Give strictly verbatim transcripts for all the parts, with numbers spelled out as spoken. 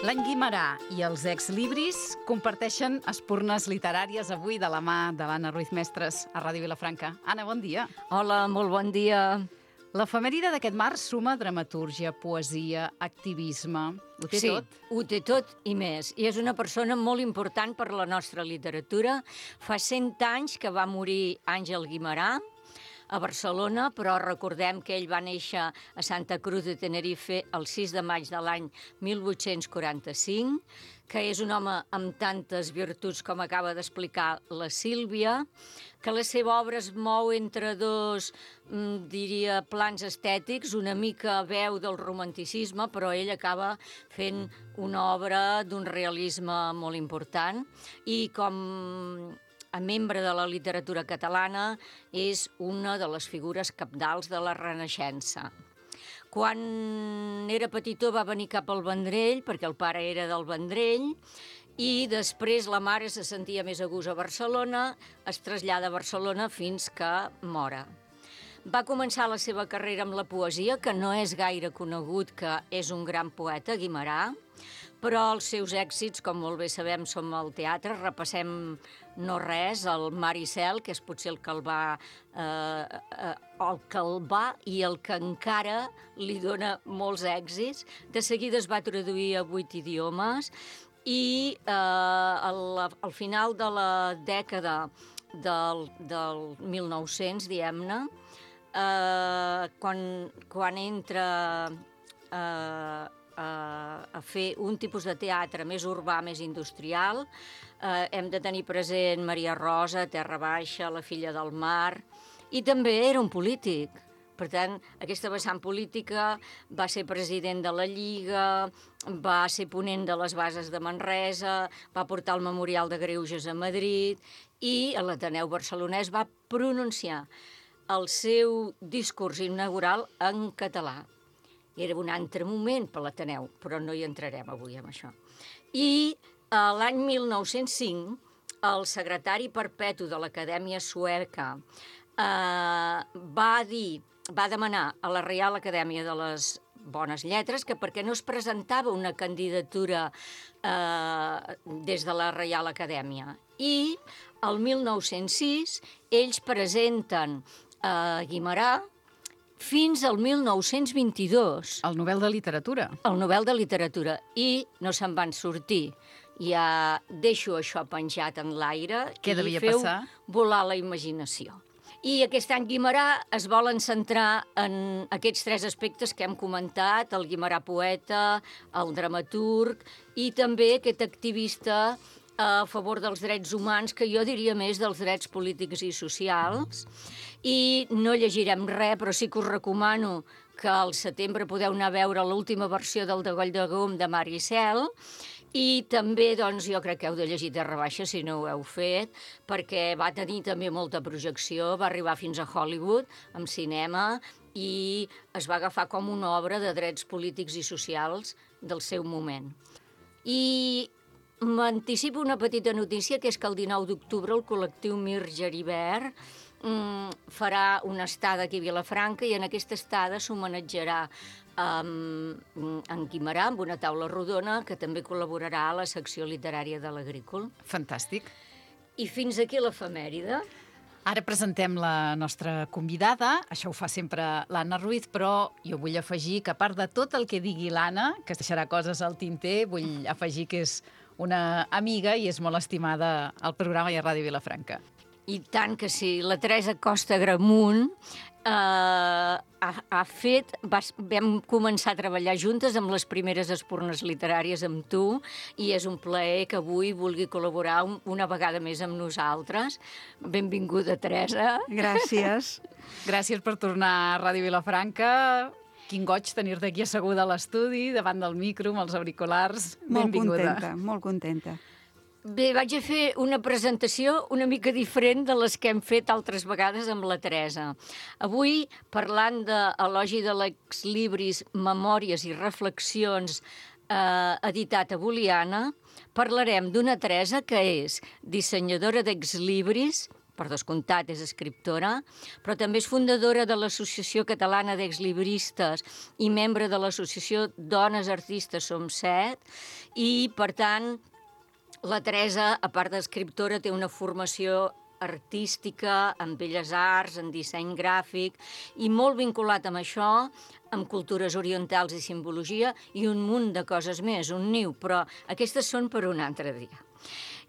L'any Guimerà i els exlibris comparteixen espurnes literàries avui de la mà de l'Anna Ruiz Mestres a Ràdio Vilafranca. Anna, bon dia. Hola, molt bon dia. L'efemèride d'aquest març suma dramatúrgia, poesia, activisme... Ho té sí, tot? ho té tot i més. I és una persona molt important per la nostra literatura. Fa cent anys que va morir Àngel Guimerà a Barcelona, però recordem que ell va néixer a Santa Cruz de Tenerife el sis de maig de l'any mil vuit-cents quaranta-cinc, que és un home amb tantes virtuts com acaba d'explicar la Sílvia, que la seva obra es mou entre dos, diria, plans estètics, una mica veu del romanticisme, però ell acaba fent una obra d'un realisme molt important i com a membre de la literatura catalana és una de les figures cabdals de la Renaixença. Quan era petitó va venir cap al Vendrell, perquè el pare era del Vendrell, i després la mare se sentia més a gust a Barcelona, es trasllada a Barcelona fins que mora. Va començar la seva carrera amb la poesia, que no és gaire conegut que és un gran poeta, Guimerà, però els seus èxits, com molt bé sabem, són al teatre. Repassem no res, el Mar i Cel, que és potser el que el va, eh, eh, el que el va i el que encara li dona molts èxits. De seguida es va traduir a vuit idiomes i eh, al, al final de la dècada del, del mil nou-cents, diguem-ne, eh, quan, quan entra eh, a fer un tipus de teatre més urbà, més industrial. Eh, hem de tenir present Maria Rosa, Terra Baixa, La filla del mar, i també era un polític. Per tant, aquesta vessant política va ser president de la Lliga, va ser ponent de les bases de Manresa, va portar el Memorial de Greuges a Madrid i a l'Ateneu Barcelonès va pronunciar el seu discurs inaugural en català. Era un altre moment per l'Ateneu, però no hi entrarem avui amb això. I eh, l'any mil nou-cents cinc, el secretari perpetu de l'Acadèmia Sueca eh, va dir, va demanar a la Reial Acadèmia de les Bones Lletres que perquè no es presentava una candidatura eh, des de la Reial Acadèmia. I el mil nou-cents sis ells presenten a eh, Guimerà fins al mil nou-cents vint-i-dos. El Nobel de Literatura. El Nobel de Literatura. I no se'n van sortir. Ja deixo això penjat en l'aire Què i devia feu passar? volar la imaginació. I aquest any Guimerà es volen centrar en aquests tres aspectes que hem comentat, el Guimerà poeta, el dramaturg i també aquest activista a favor dels drets humans, que jo diria més dels drets polítics i socials. I no llegirem res, però sí que us recomano que al setembre podeu anar a veure l'última versió del Degoll de Gom de Mar i Cel, i també, doncs, jo crec que heu de llegir Terra Baixa si no ho heu fet, perquè va tenir també molta projecció, va arribar fins a Hollywood, amb cinema, i es va agafar com una obra de drets polítics i socials del seu moment. I m'anticipo una petita notícia, que és que el dinou d'octubre el col·lectiu Mir Geribert mm, farà una estada aquí a Vilafranca i en aquesta estada s'homenatjarà um, en Guimerà amb una taula rodona que també col·laborarà a la secció literària de l'Agrícola. Fantàstic. I fins aquí l'efemèride. Ara presentem la nostra convidada, això ho fa sempre l'Anna Ruiz, però jo vull afegir que a part de tot el que digui l'Anna, que es deixarà coses al tinter, vull afegir que és una amiga i és molt estimada al programa i a Ràdio Vilafranca. I tant que sí. La Teresa Costa Gramunt eh, ha, ha fet... Vas, vam començar a treballar juntes amb les primeres espurnes literàries amb tu i és un plaer que avui vulgui col·laborar un, una vegada més amb nosaltres. Benvinguda, Teresa. Gràcies. Gràcies per tornar a Ràdio Vilafranca. Quin goig tenir-te aquí asseguda a l'estudi, davant del micro, amb els auriculars. Molt Benvinguda. contenta, molt contenta. Bé, vaig a fer una presentació una mica diferent de les que hem fet altres vegades amb la Teresa. Avui, parlant de Elogi de l'exlibris, Memòries i reflexions, eh, editat a Boliana, parlarem d'una Teresa que és dissenyadora d'exlibris, per descomptat és escriptora, però també és fundadora de l'Associació Catalana d'Exlibristes i membre de l'Associació Dones Artistes Som Set, i, per tant, la Teresa, a part d'escriptora, té una formació artística, en belles arts, en disseny gràfic, i molt vinculat amb això, amb cultures orientals i simbologia, i un munt de coses més, un niu, però aquestes són per un altre dia.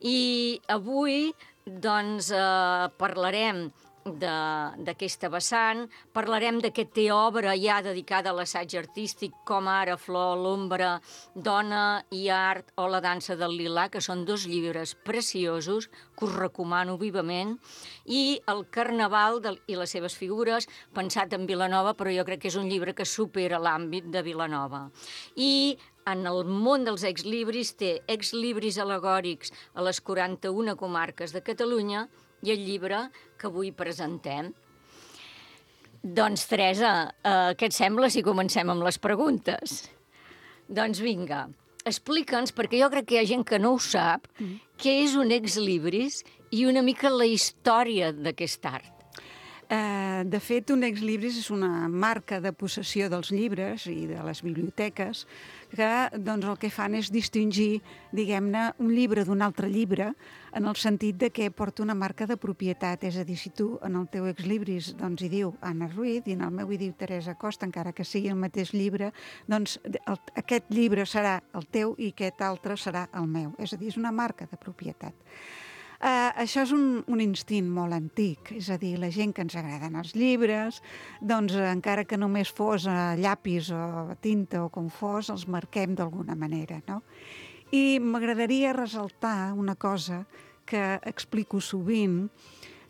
I avui, doncs, eh, parlarem d'aquesta vessant, parlarem de que té obra ja dedicada a l'assaig artístic, com ara Flor, l'ombra, Dona i art o La dansa del lilà, que són dos llibres preciosos que us recomano vivament, i El carnaval de, i les seves figures, pensat en Vilanova, però jo crec que és un llibre que supera l'àmbit de Vilanova. I en el món dels exlibris té exlibris al·legòrics a les quaranta-una comarques de Catalunya i el llibre que avui presentem. Doncs, Teresa, eh, què et sembla si comencem amb les preguntes? Doncs vinga, explica'ns, perquè jo crec que hi ha gent que no ho sap, mm. què és un exlibris i una mica la història d'aquest art. Uh, de fet, un exlibris és una marca de possessió dels llibres i de les biblioteques que doncs, el que fan és distingir, diguem-ne, un llibre d'un altre llibre en el sentit de que porta una marca de propietat. És a dir, si tu en el teu exlibris doncs, hi diu Anna Ruiz i en el meu hi diu Teresa Costa, encara que sigui el mateix llibre, doncs el, aquest llibre serà el teu i aquest altre serà el meu. És a dir, és una marca de propietat. Uh, això és un, un instint molt antic, és a dir, la gent que ens agraden els llibres, doncs encara que només fos a llapis o a tinta o com fos, els marquem d'alguna manera, no? I m'agradaria ressaltar una cosa que explico sovint,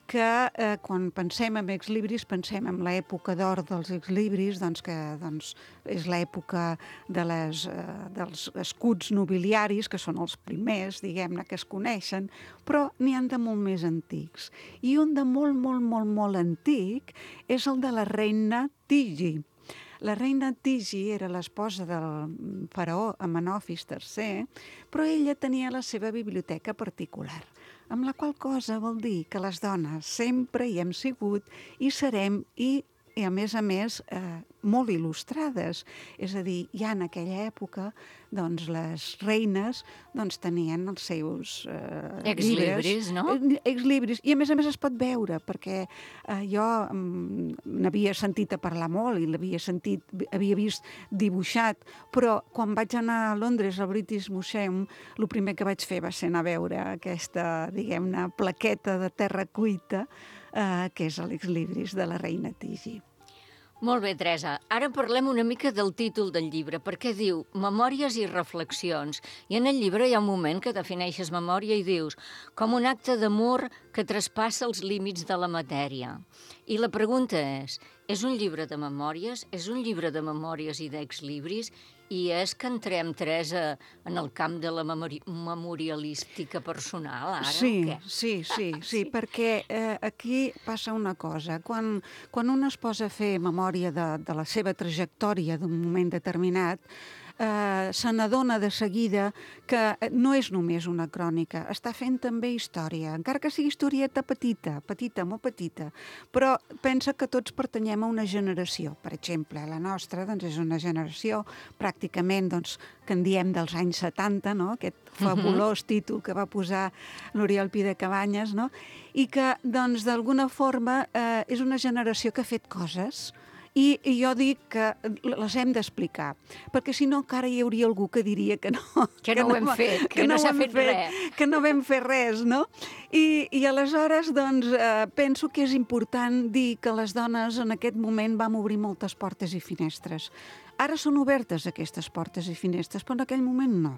que eh, quan pensem en exlibris pensem en l'època d'or dels exlibris, doncs que doncs, és l'època de les, eh, dels escuts nobiliaris, que són els primers, diguem-ne, que es coneixen, però n'hi ha de molt més antics. I un de molt, molt, molt, molt antic és el de la reina Tigi. La reina Tigi era l'esposa del faraó Amenofis tercer, però ella tenia la seva biblioteca particular, amb la qual cosa vol dir que les dones sempre hi hem sigut i serem i, i a més a més, eh, molt il·lustrades. És a dir, ja en aquella època, doncs, les reines doncs, tenien els seus eh, exlibris, llibres, no? Exlibris, i a més a més es pot veure, perquè eh, jo mm, n'havia sentit a parlar molt i l'havia sentit, havia vist dibuixat, però quan vaig anar a Londres al British Museum, el primer que vaig fer va ser anar a veure aquesta, diguem-ne, plaqueta de terra cuita, eh, que és l'exlibris de la reina Tigi. Molt bé, Teresa. Ara parlem una mica del títol del llibre, perquè diu Memòries i reflexions. I en el llibre hi ha un moment que defineixes memòria i dius com un acte d'amor que traspassa els límits de la matèria. I la pregunta és, és un llibre de memòries? És un llibre de memòries i d'exlibris? I és que entrem, Teresa, en el camp de la memori memorialística personal, ara, sí, o què? Sí, sí, sí, sí, perquè eh, aquí passa una cosa. Quan, quan un es posa a fer memòria de, de la seva trajectòria d'un moment determinat, eh, se n'adona de seguida que no és només una crònica, està fent també història, encara que sigui historieta petita, petita, molt petita, però pensa que tots pertanyem a una generació. Per exemple, la nostra doncs, és una generació pràcticament doncs, que en diem dels anys setanta, no? Aquest fabulós títol que va posar l'Oriol Pi de Cabanyes, no? I que doncs, d'alguna forma eh, és una generació que ha fet coses. I, I jo dic que les hem d'explicar, perquè si no encara hi hauria algú que diria que no. Que no, que no ho hem fet, que, que no s'ha fet, fet res. Que no vam fer res, no? I, i aleshores, doncs, eh, penso que és important dir que les dones en aquest moment vam obrir moltes portes i finestres. Ara són obertes aquestes portes i finestres, però en aquell moment no.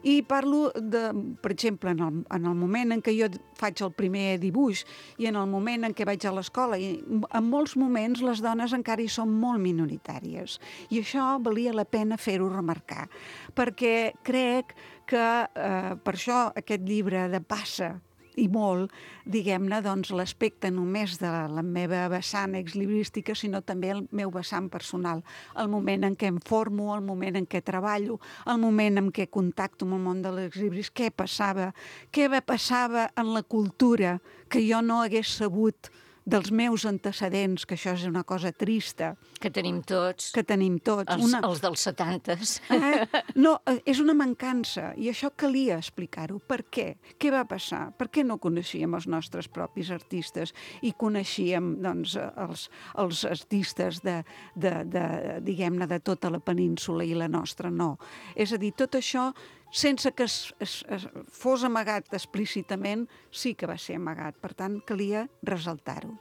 I parlo, de, per exemple, en el, en el moment en què jo faig el primer dibuix i en el moment en què vaig a l'escola, i en molts moments les dones encara hi són molt minoritàries. I això valia la pena fer-ho remarcar, perquè crec que eh, per això aquest llibre de Passa i molt, diguem-ne, doncs, l'aspecte només de la meva vessant exlibrística, sinó també el meu vessant personal. El moment en què em formo, el moment en què treballo, el moment en què contacto amb el món de l'exlibris, què passava, què passava en la cultura que jo no hagués sabut dels meus antecedents, que això és una cosa trista. Que tenim tots. Que tenim tots. Els, una... els dels setantes. Eh? No, és una mancança, i això calia explicar-ho. Per què? Què va passar? Per què no coneixíem els nostres propis artistes i coneixíem, doncs, els, els artistes de, de, de, diguem-ne, de tota la península i la nostra no? És a dir, tot això, sense que es, es, es fos amagat explícitament, sí que va ser amagat. Per tant, calia ressaltar-ho.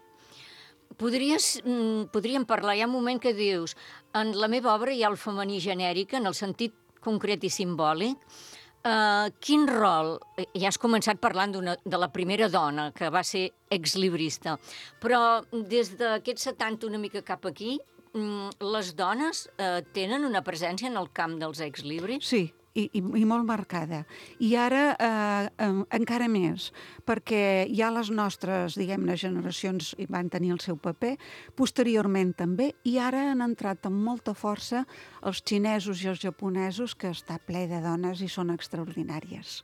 Podries, mm, podríem parlar, hi ha un moment que dius, en la meva obra hi ha el femení genèric, en el sentit concret i simbòlic. Uh, quin rol? Ja has començat parlant de la primera dona, que va ser exlibrista, però des d'aquests setanta una mica cap aquí, mm, les dones uh, tenen una presència en el camp dels exlibris? Sí. I, i, i molt marcada. I ara eh, eh, encara més, perquè ja les nostres, diguem-ne, generacions van tenir el seu paper, posteriorment també, i ara han entrat amb molta força els xinesos i els japonesos, que està ple de dones i són extraordinàries.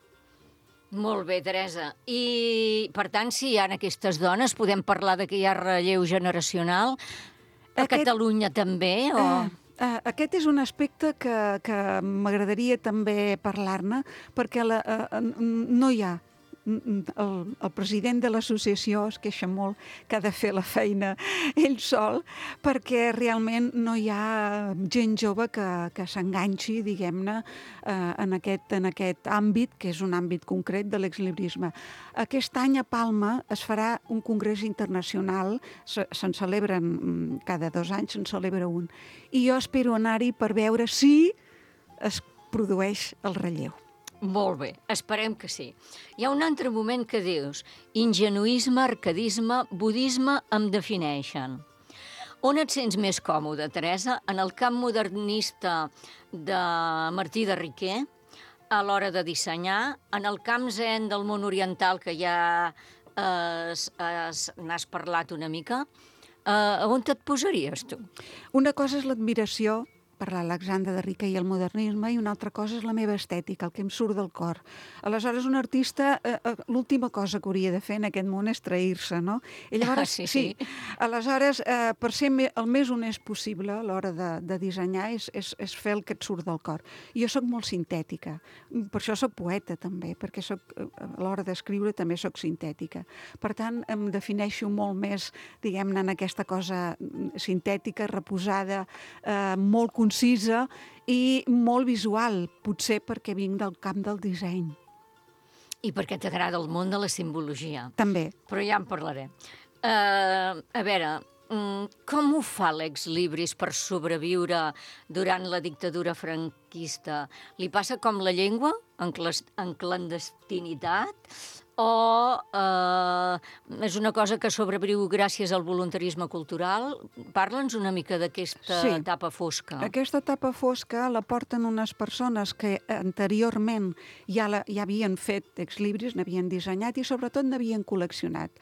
Molt bé, Teresa. I, per tant, si hi ha aquestes dones, podem parlar de que hi ha relleu generacional? A Aquest... Catalunya també? O... Eh... Uh, aquest és un aspecte que, que m'agradaria també parlar-ne, perquè la, uh, no hi ha. El, el president de l'associació es queixa molt que ha de fer la feina ell sol, perquè realment no hi ha gent jove que, que s'enganxi, diguem-ne, eh, en, aquest, en aquest àmbit, que és un àmbit concret de l'exlibrisme. Aquest any a Palma es farà un congrés internacional, se, se'n celebren cada dos anys, se'n celebra un, i jo espero anar-hi per veure si es produeix el relleu. Molt bé, esperem que sí. Hi ha un altre moment que dius, ingenuisme, arcadisme, budisme em defineixen. On et sents més còmode, Teresa? En el camp modernista de Martí de Riquer, a l'hora de dissenyar, en el camp zen del món oriental, que ja eh, n'has parlat una mica, eh, on et posaries tu? Una cosa és l'admiració per l'Alexandre de Riquer i el modernisme, i una altra cosa és la meva estètica, el que em surt del cor. Aleshores, un artista, eh, eh, l'última cosa que hauria de fer en aquest món és trair-se, no? I llavors, ah, sí, sí. sí. Aleshores, eh, per ser el més honest possible a l'hora de, de dissenyar és, és, és fer el que et surt del cor. I jo sóc molt sintètica, per això sóc poeta també, perquè soc, a l'hora d'escriure també sóc sintètica. Per tant, em defineixo molt més, diguem-ne, en aquesta cosa sintètica, reposada, eh, molt concisa i molt visual, potser perquè vinc del camp del disseny. I perquè t'agrada el món de la simbologia. També. Però ja en parlarem. Uh, a veure, um, com ho fa l'exlibris per sobreviure durant la dictadura franquista? Li passa com la llengua, en, en clandestinitat? O eh, és una cosa que sobreviu gràcies al voluntarisme cultural? Parla'ns una mica d'aquesta sí. etapa fosca. Aquesta etapa fosca la porten unes persones que anteriorment ja, la, ja havien fet exlibris, n'havien dissenyat i sobretot n'havien col·leccionat.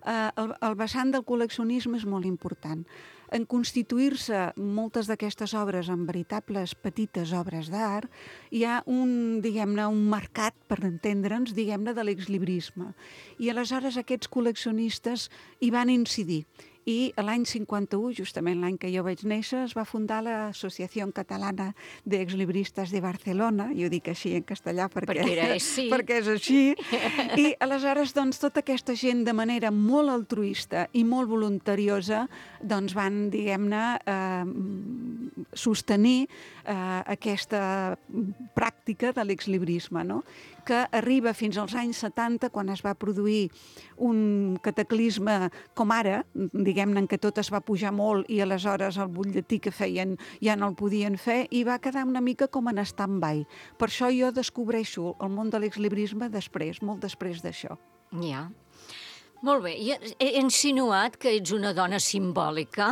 Eh, el, el vessant del col·leccionisme és molt important. En constituir-se moltes d'aquestes obres en veritables petites obres d'art, hi ha un, diguem-ne, un mercat, per entendre'ns, diguem-ne, de l'exlibrisme. I aleshores aquests col·leccionistes hi van incidir. I l'any cinquanta-u, justament l'any que jo vaig néixer, es va fundar l'Associació Catalana d'Exlibristes de Barcelona, i ho dic així en castellà perquè, perquè, era, sí. perquè és així, i aleshores doncs, tota aquesta gent de manera molt altruista i molt voluntariosa doncs, van, diguem-ne, eh, sostenir eh, aquesta pràctica de l'exlibrisme, no? Que arriba fins als anys setanta, quan es va produir un cataclisme com ara, diguem-ne, en què tot es va pujar molt i aleshores el butlletí que feien ja no el podien fer, i va quedar una mica com en stand-by. Per això jo descobreixo el món de l'exlibrisme després, molt després d'això. Ja. Molt bé, i he insinuat que ets una dona simbòlica,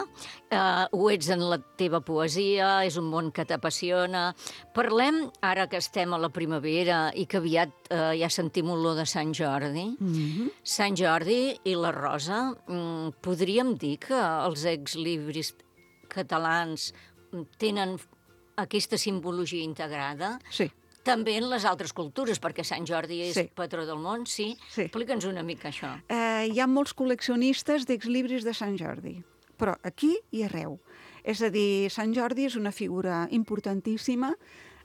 eh, ho ets en la teva poesia, és un món que t'apassiona. Parlem, ara que estem a la primavera i que aviat eh, ja sentim olor de Sant Jordi, mm-hmm. Sant Jordi i la Rosa, mm, podríem dir que els exlibris catalans tenen aquesta simbologia integrada? Sí. També en les altres cultures, perquè Sant Jordi és Sí. patró del món, sí? Sí. Explica'ns una mica això. Eh, hi ha molts col·leccionistes d'exlibris de Sant Jordi, però aquí i arreu. És a dir, Sant Jordi és una figura importantíssima,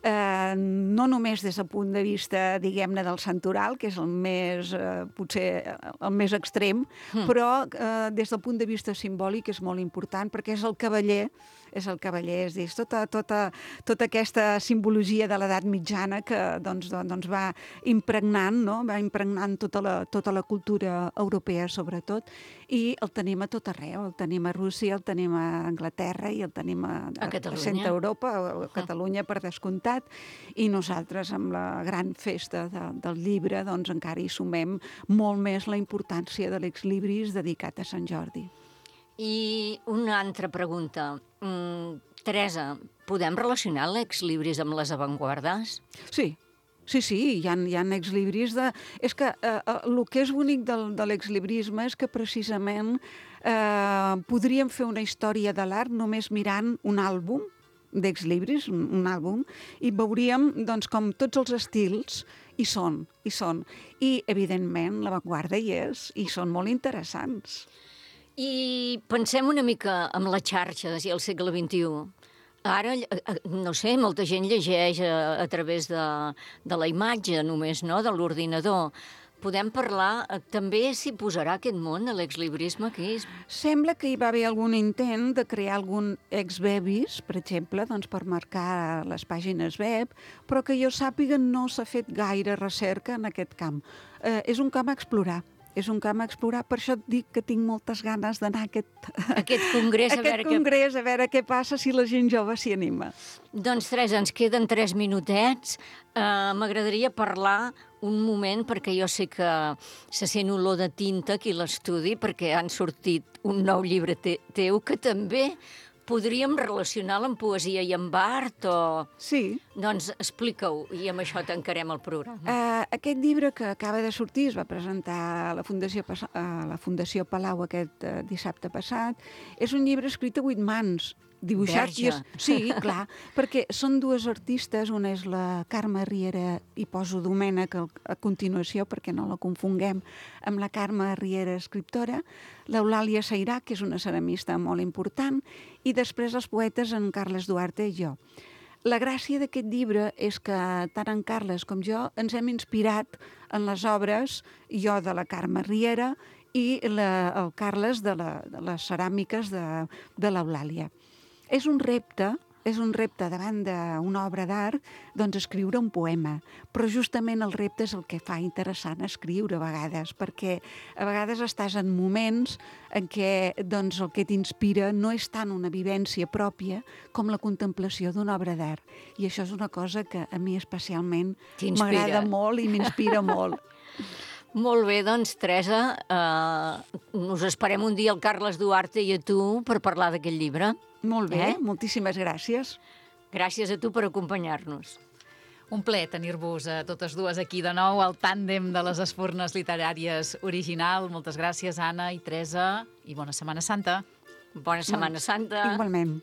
eh, no només des del punt de vista, diguem-ne, del santoral, que és el més, eh, potser el més extrem, mm. però eh, des del punt de vista simbòlic és molt important, perquè és el cavaller, és el cavaller, és dir, és tota, tota, tota aquesta simbologia de l'edat mitjana que doncs, doncs va impregnant, no? Va impregnant tota la, tota la cultura europea, sobretot, i el tenim a tot arreu. El tenim a Rússia, el tenim a Anglaterra i el tenim a, a, a, a Centre Europa, a Catalunya, per descomptat, i nosaltres, amb la gran festa de, del llibre, doncs encara hi sumem molt més la importància de l'exlibris dedicat a Sant Jordi. I una altra pregunta. Mm, Teresa, podem relacionar l'exlibris amb les avantguardes? Sí, sí, sí, hi ha, hi ha exlibris de... És que eh, el que és bonic del, de l'exlibrisme és que precisament eh, podríem fer una història de l'art només mirant un àlbum d'exlibris, un, un àlbum, i veuríem doncs, com tots els estils hi són, hi són. I, evidentment, l'avantguarda hi és, i són molt interessants. I pensem una mica en la xarxa del segle vint-i-u. Ara, no sé, molta gent llegeix a, a través de, de la imatge només, no?, de l'ordinador. Podem parlar, també s'hi posarà aquest món de l'exlibrisme aquí? Sembla que hi va haver algun intent de crear algun ex-bebis, per exemple, doncs per marcar les pàgines web, però que jo sàpiga no s'ha fet gaire recerca en aquest camp. Eh, és un camp a explorar. És un camp a explorar, per això et dic que tinc moltes ganes d'anar a aquest, aquest congrés, a, aquest veure congrés que... a veure què passa si la gent jove s'hi anima. Doncs, Teresa, ens queden tres minutets. Uh, M'agradaria parlar un moment, perquè jo sé que se sent olor de tinta aquí a l'estudi, perquè han sortit un nou llibre te teu que també podríem relacionar-lo amb poesia i amb art o... Sí. Doncs explica-ho i amb això tancarem el programa. Uh, aquest llibre que acaba de sortir es va presentar a la Fundació, a la Fundació Palau aquest uh, dissabte passat. És un llibre escrit a vuit mans, dibuixat. I és... Sí, clar, perquè són dues artistes, una és la Carme Riera, i poso Domènec a continuació perquè no la confonguem amb la Carme Riera, escriptora, l'Eulàlia Sairà, que és una ceramista molt important, i després els poetes en Carles Duarte i jo. La gràcia d'aquest llibre és que tant en Carles com jo ens hem inspirat en les obres, jo de la Carme Riera i la, el Carles de, la, de les ceràmiques de, de l'Eulàlia. És un repte, és un repte davant d'una obra d'art, doncs escriure un poema. Però justament el repte és el que fa interessant escriure a vegades, perquè a vegades estàs en moments en què doncs, el que t'inspira no és tant una vivència pròpia com la contemplació d'una obra d'art. I això és una cosa que a mi especialment m'agrada molt i m'inspira molt. Molt bé, doncs, Teresa, eh, us esperem un dia al Carles Duarte i a tu per parlar d'aquest llibre. Molt bé, Eh? moltíssimes gràcies. Gràcies a tu per acompanyar-nos. Un plaer tenir-vos a totes dues aquí de nou, al tàndem de les Espurnes Literàries original. Moltes gràcies, Anna i Teresa, i bona Setmana Santa. Bona Setmana Santa. Igualment.